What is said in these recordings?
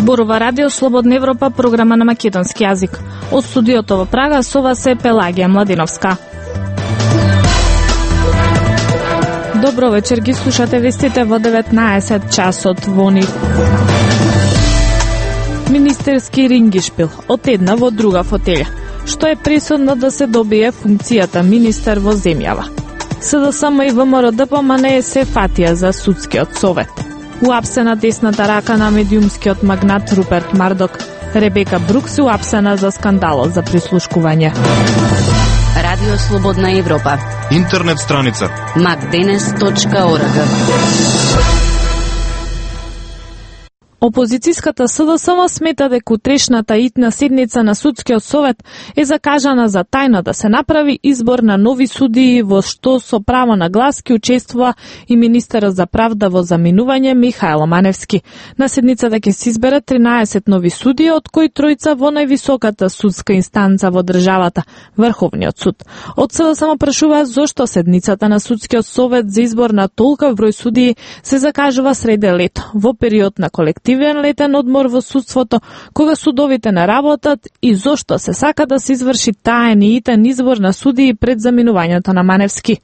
Зборува Радио Слободна Европа, програма на македонски јазик. Од студиото во Прага со вас е Пелагија Младиновска. Добро вечер, ги слушате вестите во 19 часот во НИ. Министерски рингишпил од една во друга фотелја. Што е пресудно да се добие функцијата министер во земјава. СДСМ и ВМРО ДПМН се фатија за судскиот совет. Уапсена десната рака на медиумскиот магнат Руперт Мардок. Ребека Брукс уапсена за скандалот за прислушкување. Радио Слободна Европа. Интернет страница macdenes.org. Опозицијската СДСМ смета дека утрешната итна седница на судскиот совет е закажана за тајно да се направи избор на нови судии, во што со право на глас ќе учествува и министерот за правда во заминување Михајло Маневски. На седницата ќе се изберат 13 нови судии, од кои тројца во највисоката судска инстанца во државата, Врховниот суд. Од СДСМ прашуваат зошто седницата на судскиот совет за избор на толков број судии се закажува среде лето, во период на колективен летен одмор во судството, кога судовите не работат, и зошто се сака да се изврши таен и итен избор на судии пред заминувањето на Маневски.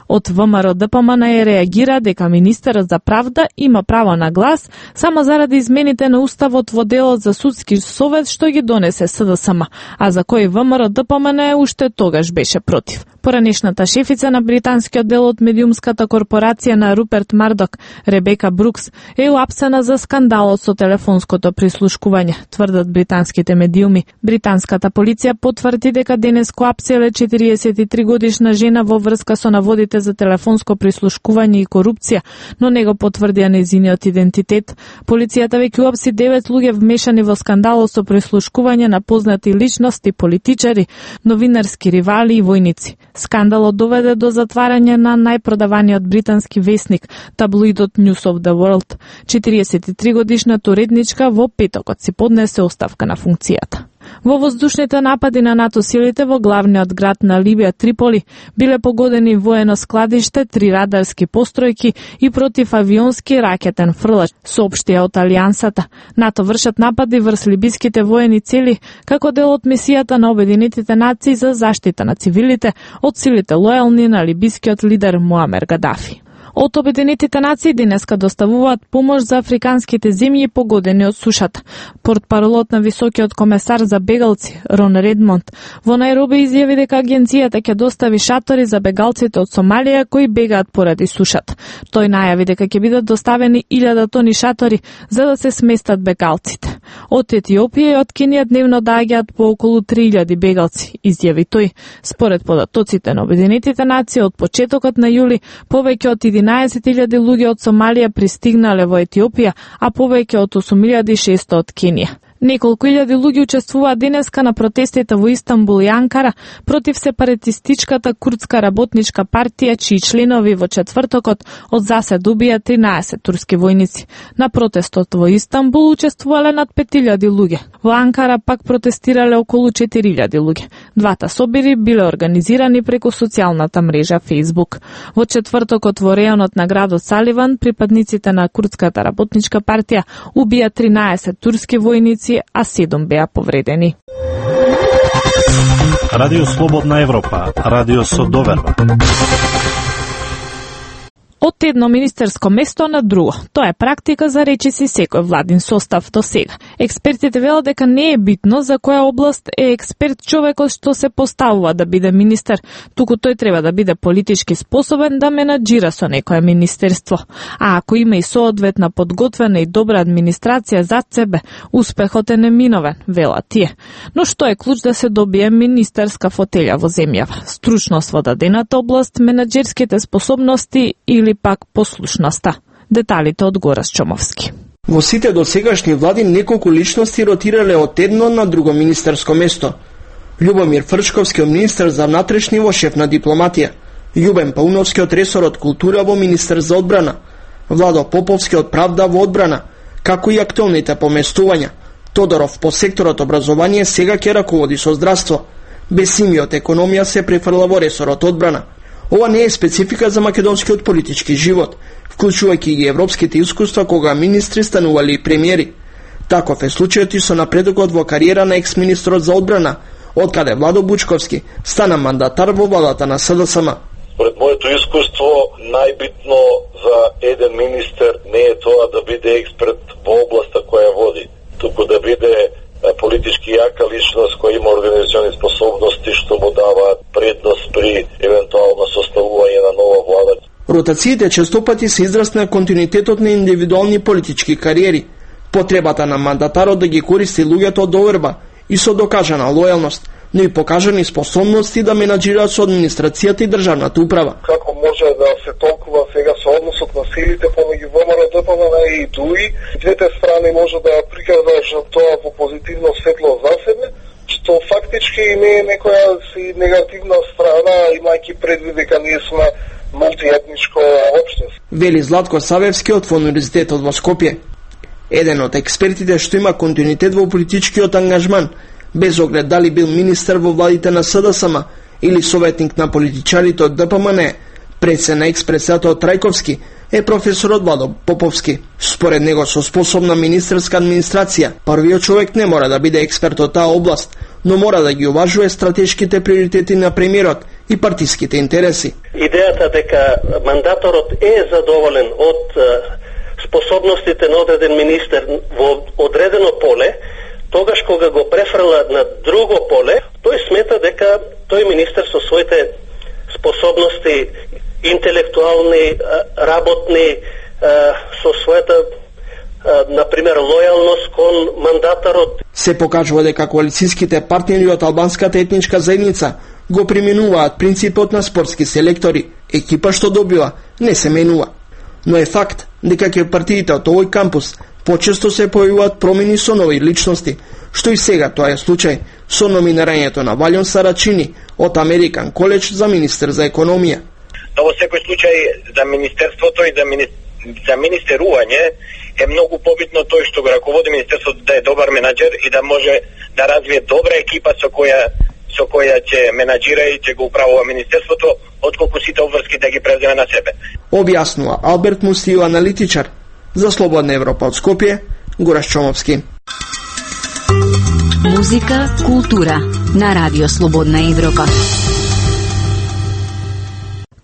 Од ВМРО ДПМН реагира дека министерот за правда има право на глас само заради измените на уставот во делот за судски совет што ги донесе СДСМ, а за кој ВМРО ДПМН уште тогаш беше против. Поранешната шефица на британскиот дел од медиумската корпорација на Руперт Мардок, Ребека Брукс, е уапсена за скандалот со телефонското прислушкување, тврдат британските медиуми. Британската полиција потврди дека денес коапселе 43 годишна жена во врска со наводите за телефонско прислушкување и корупција, но не го потврдија нејзиниот идентитет. Полицијата веќе уапси 9 луѓе вмешани во скандалот со прислушкување на познати личности, политичари, новинарски ривали и војници. Скандалот доведе до затварање на најпродаваниот британски весник, таблоидот News of the World. 43 годишната уредничка во петокот си поднесе оставка на функцијата. Во воздушните напади на НАТО силите во главниот град на Либија, Триполи, биле погодени воено складиште, 3 радарски постројки и противавионски ракетен фрлач, соопштија од Алијансата. НАТО вршат напади врз либиските воени цели како дел од мисијата на Обединетите нации за заштита на цивилите од силите лојални на либискиот лидер Муамер Гадафи. Од Обединетите нации денеска доставуваат помош за африканските земји погодени од сушата. Портпаролот на високиот комесар за бегалци, Рон Редмонд, во Најроби изјави дека агенцијата ќе достави шатори за бегалците од Сомалија кои бегаат поради сушата. Тој најави дека ќе бидат доставени 1000 тони шатори за да се сместат бегалците. Од Етиопија и од Кенија дневно доаѓаат по околу 3000 бегалци, изјави тој. Според податоците на Обединетите нации, од почетокот на јули повеќе од 11.000 луѓе од Сомалија пристигнале во Етиопија, а повеќе од 8600 од Кенија. Неколку илјади луѓе учествуваат денеска на протестите во Истанбул и Анкара против сепаратистичката курдска работничка партија, чии членови во четвртокот од засед убија 13 турски војници. На протестот во Истанбул учествувале над 5000 луѓе. Во Анкара пак протестирале околу 4000 луѓе. Двата собири биле организирани преку социјалната мрежа Facebook. Во четвртокот во реонот на градот Саливан, припадниците на курдската работничка партија убија 13 турски војници, а 7 беа повредени. Радио Слободна Европа, радио со доверба. Од едно министерско место на друго. Тоа е практика за речиси секој владин состав до сега. Експертите велат дека не е битно за која област е експерт човекот што се поставува да биде министер, туку тој треба да биде политички способен да менаџира со некое министерство. А ако има и соодветна подготвена и добра администрација зад себе, успехот е неминовен, велат тие. Но што е клуч да се добие министерска фотелја во земјава? Стручност во дадената област, менаџерските способности или пак послушноста. Деталите од Горас Чомовски. Во сите досегашни влади неколку личности ротирале од едно на друго министерско место. Љубомир Фрчковски од министер за внатрешни во шеф на дипломатија, Љубен Пауновски од ресорот култура во министер за одбрана, Владо Поповски од правда во одбрана, како и актуелните поместувања. Тодоров по секторот образование сега ќе раководи со здравство. Бесимиот економија се префрла во ресорот одбрана. Ова не е специфика за македонскиот политички живот, вклучувајќи и европските искуства кога министри станували и премиери. Таков е случајот и со напредокот во кариера на екс-министрот за одбрана, откаде Владо Бучковски стана мандатар во владата на СДСМ. Според моето искуство, најбитно за еден министер не е тоа да биде експерт во областа која води, туку да биде политички јака личност која има организациони способности што му даваат предност при евентуално составување на нова влада. Ротациите честопати се израз на континуитетот на индивидуални политички кариери, потребата на мандатарот да ги користи луѓето од доверба и со докажана лојалност, но и покажани способности да менаџираат со администрацијата и државната управа. Како може да се толкува сега со односот на силите помеѓу ВМРО, ДПМН и ДУИ, двете страни може да прикажат тоа во позитивно светло за себе, што фактички не е некоја си негативна страна, имајќи предвид дека ние сме мултиетничко општество. Вели Златко Савевски од Универзитетот во Скопје. Еден од експертите што има континуитет во политичкиот ангажман, без оглед дали бил министер во владите на СДСМ или советник на политичарите од ДПМН, предсе на експресијатот Трајковски, е професорот Владо Поповски. Според него, со способна министерска администрација, првиот човек не мора да биде експерт од таа област, но мора да ги уважува стратешките приоритети на премиерот и партиските интереси. Идејата дека мандаторот е задоволен од способностите на одреден министер во одредено поле, тогаш кога го префрла на друго поле, тој смета дека тој министер со своите способности интелектуални, работни, со својата например лојалност кон мандатарот. Се покажува дека коалицијските партнери од албанската етничка заедница го применуваат принципот на спортски селектори. Екипа што добива не се менува. Но е факт дека ќе партиите од овој кампус почесто се појавуваат промени со нови личности, што и сега тоа е случај со номинирањето на Валјон Сарачини од Американ коледж за министер за економија. Но во секој случај за министерството и за министерување е многу побитно тој што го раководи министерството да е добар менаџер и да може да развие добра екипа со која ќе менаџира и ќе го управува министерството, отколку сите обврски да ги преземе на себе. Објаснува Алберт Мустију, аналитичар за Слободна Европа од Скопје, Гораш Чомовски. Музика, култура на Радио Слободна Европа.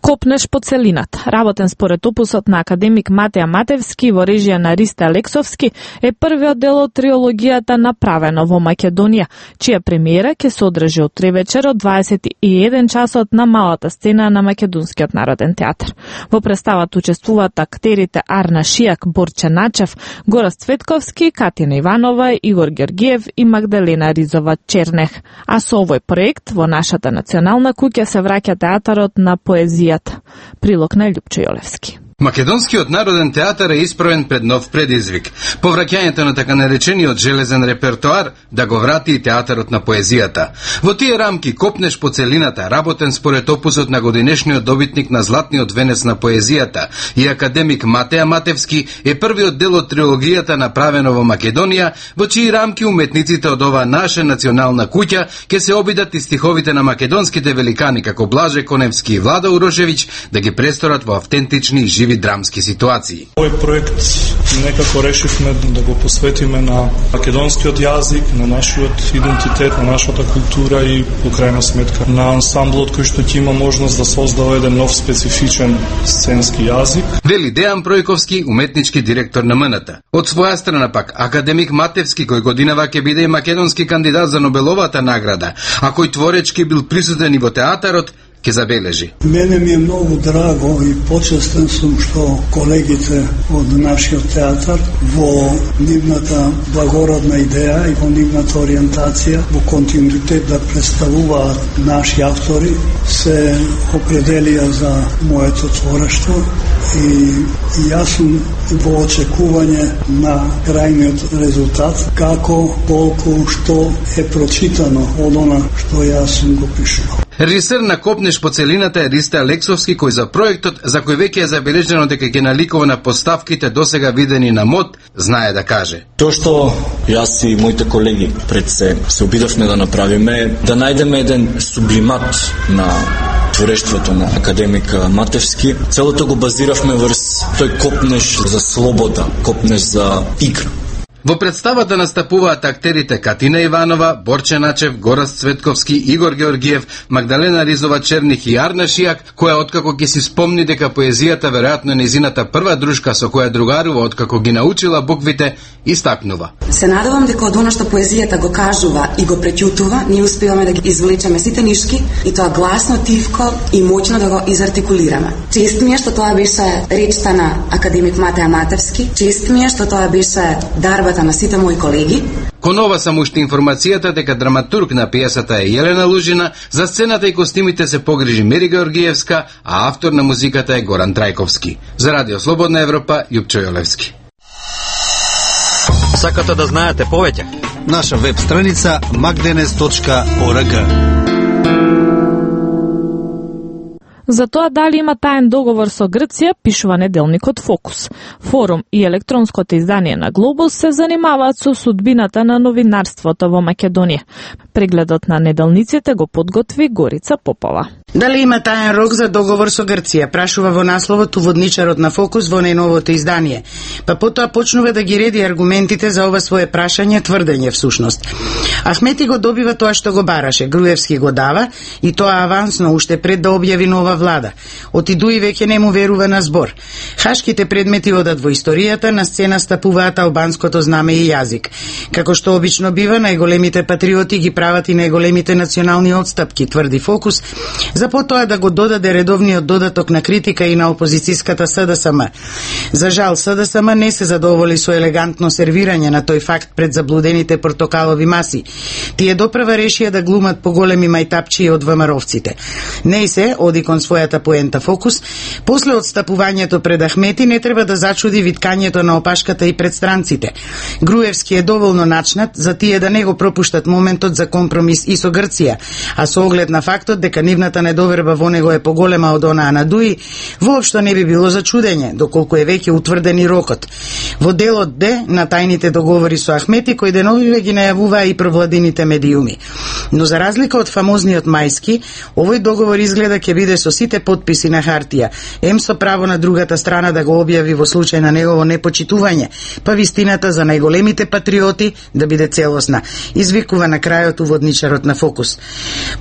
Копнеш по целината. Работен според опусот на академик Матеја Матевски во режија на Ристе Алексовски е првиот дел од триологијата Направено во Македонија, чија премиера ќе се одржи утре вечер од 21 часот на малата сцена на Македонскиот народен театар. Во представата учествуваат актерите Арна Шијак, Борче Начев, Гораст Цветковски, Катина Иванова, Игор Георгиев и Магдалена Ризова Чернех. А со овој проект во нашата национална куќа се враќа театарот на поезија. Прилог на Љупчо Јолевски. Македонскиот народен театар е исправен пред нов предизвик. Повраќањето на така наречениот железен репертоар да го врати и театарот на поезијата. Во тие рамки Копнеш по целината, работен според опусот на годинешниот добитник на Златниот венец на поезијата и академик Матеја Матевски, е првиот дел од трилогијата Направено во Македонија, во чии рамки уметниците од ова наша национална куќа ќе се обидат и стиховите на македонските великани како Блаже Коневски и Владо Урошевиќ да ги престорат во автентични и живи драмски ситуации. Овој проект некако решивме да го посветиме на македонскиот јазик, на нашиот идентитет, на нашата култура и по крајна сметка на ансамблот кој што ќе има можност да создава еден нов специфичен сценски јазик. Вели Дејан Пројковски, уметнички директор на МНТ. Од своја страна пак академик Матевски, кој годинава ќе биде и македонски кандидат за Нобеловата награда, а кој творечки бил присутен и во театарот, ќе забележи. Мене ми е многу драго и почестен сум што колегите од нашиот театар во нивната благородна идеја и во нивната ориентација во континуитет да представуваат наши автори се определија за моето творештво и јас сум во очекување на крајниот резултат, како, колку, што е прочитано од она што јас сум го пишувал. Режисер на Копнеш по целината е Ристе Алексовски, кој за проектот, за кој веќе е забележено дека ќе наликува на поставките досега видени на МОД, знае да каже. Тоа што јас и моите колеги пред се обидовме да направиме, да најдеме еден сублимат на творештвото на академик Матевски. Целото го базиравме врз тој копнеш за слобода, копнеш за игра. Во представата настапуваат актерите Катина Иванова, Борче Начев, Горас Цветковски, Игор Георгиев, Магдалена Ризова Черних и Арна Шијак, која откако ќе си спомни дека поезијата веројатно незината прва дружка со која другарува откако ги научила буквите, истакнува. Се надевам дека од она што поезијата го кажува и го преќутува, ние успеваме да ги извлечеме сите нишки и тоа гласно, тивко и моќно да го изартикулираме. Чест ми е што тоа беше речта на академик Матеја Матевски, чест ми е што тоа беше дарбата на сите мои колеги. Кон ова само уште информацијата дека драматург на пиесата е Јелена Лужина, за сцената и костимите се погрижи Мери Георгиевска, а автор на музиката е Горан Трајковски. За Радио Слободна Европа, Јупчо Јолевски. Сакате да знаете повеќе? Наша веб страница magdenes.org. За тоа дали има таен договор со Грција, пишува неделникот Фокус. Форум и електронското издание на Глобус се занимаваат со судбината на новинарството во Македонија. Прегледот на неделниците го подготви Горица Попова. Дали има таен рок за договор со Грција, прашува во насловот уводничарот на Фокус во најновото издание. Па потоа почнува да ги реди аргументите за ова свое прашање, тврдење всушност. Ахмети го добива тоа што го бараше, Груевски го дава и тоа авансно уште пред да објави нова влада. Отидуи веќе не му верува на збор. Хашките предмети одат во историјата, на сцена стапуваат албанското знаме и јазик. Како што обично бива, најголемите патриоти ги прават и најголемите национални отстапки, тврди Фокус, за потоа да го додаде редовниот додаток на критика и на опозицијската СДСМ. За жал, СДСМ не се задоволи со елегантно сервирање на тој факт пред заблудените портокалови маси. Тие доправа решија да глумат поголеми мајтапчии од ВМРО-вците. Не се, оди кон својата поента Фокус, после отстапувањето пред Ахмети не треба да зачуди виткањето на опашката и пред странците. Груевски е доволно начнат за тие да не го пропуштат моментот за компромис и со Грција, а со оглед на фактот дека нивната недоверба во него е поголема од онаа на Дуи, воопшто не би било за чудење, доколку е веќе утврден и рокот. Во делот Д на тајните договори со Ахмети, кој деновиве ги најавуваа и провладините медиуми. Но за разлика од фамозниот Мајски, овој договор изгледа ќе биде со сите подписи на хартија, ем со право на другата страна да го објави во случај на негово непочитување, па вистината за најголемите патриоти да биде целосна, извикува на крајот уводничарот на Фокус.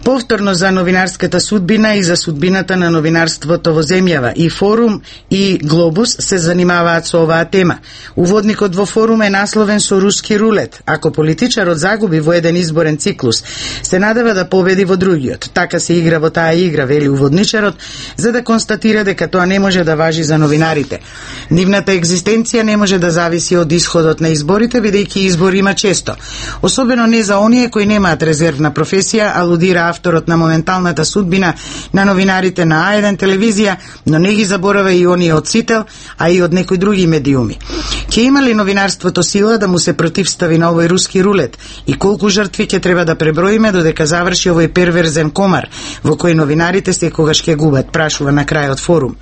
Повторно за новинарската судбина и за судбината на новинарството во земјава, и Форум и Глобус се занимаваат со оваа тема. Уводникот во Форум е насловен со руски рулет. Ако политичарот загуби во еден изборен циклус, се надева да победи во другиот. Така се игра во таа игра, вели уводничарот, за да констатира дека тоа не може да важи за новинарите. Нивната екзистенција не може да зависи од исходот на изборите, бидејќи избори има често. Особено не за оние кои немаат резервна професија, алудира авторот на моменталната судбина на новинарите на А1 телевизија, но не ги заборава и оние од Сител, а и од некои други медиуми. Ќе има ли новинарството сила да му се противстави на овој руски рулет и колку жртви ќе треба да преброиме додека заврши овој перверзен комар во кој новинарите секогаш ќе губат, прашува на крајот Форум.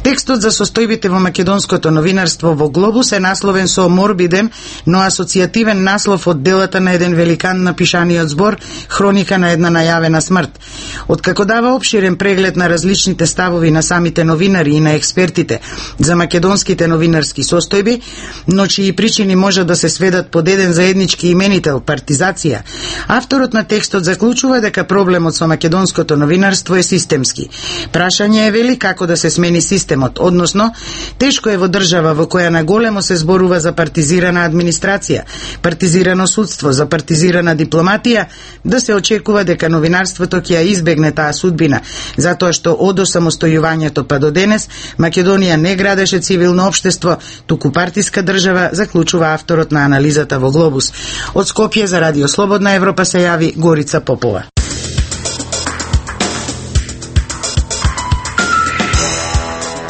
Текстот за состојбите во македонското новинарство во Глобус е насловен со морбиден, но асоцијативен наслов од делата на еден великан на пишаниот збор Хроника на една најавена смрт. Откако дава опширен преглед на различните ставови на самите новинари и на експертите за македонските новинарски состојби, но чии причини може да се сведат под еден заеднички именител – партизација, авторот на текстот заклучува дека проблемот со македонското новинарство е системски. Прашање е, вели, како да се смени системот, односно, тешко е во држава во која наголемо се зборува за партизирана администрација, партизирано судство, за партизирана дипломатија, да се очекува дека новинарството ќе ја избегне таа судбина, затоа што од осамостојувањето па до денес Македонија не градеше цивилно општество, туку партиска држава, заклучува авторот на анализата во Глобус. Од Скопје за Радио Слободна Европа се јави Горица Попова.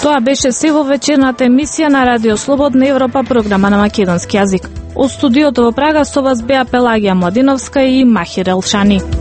Тоа беше се во вечерната емисија на Радио Слободна Европа, програма на македонски јазик. Од студиото во Прага со вас беа Пелагија Младиновска и Махир Елшани.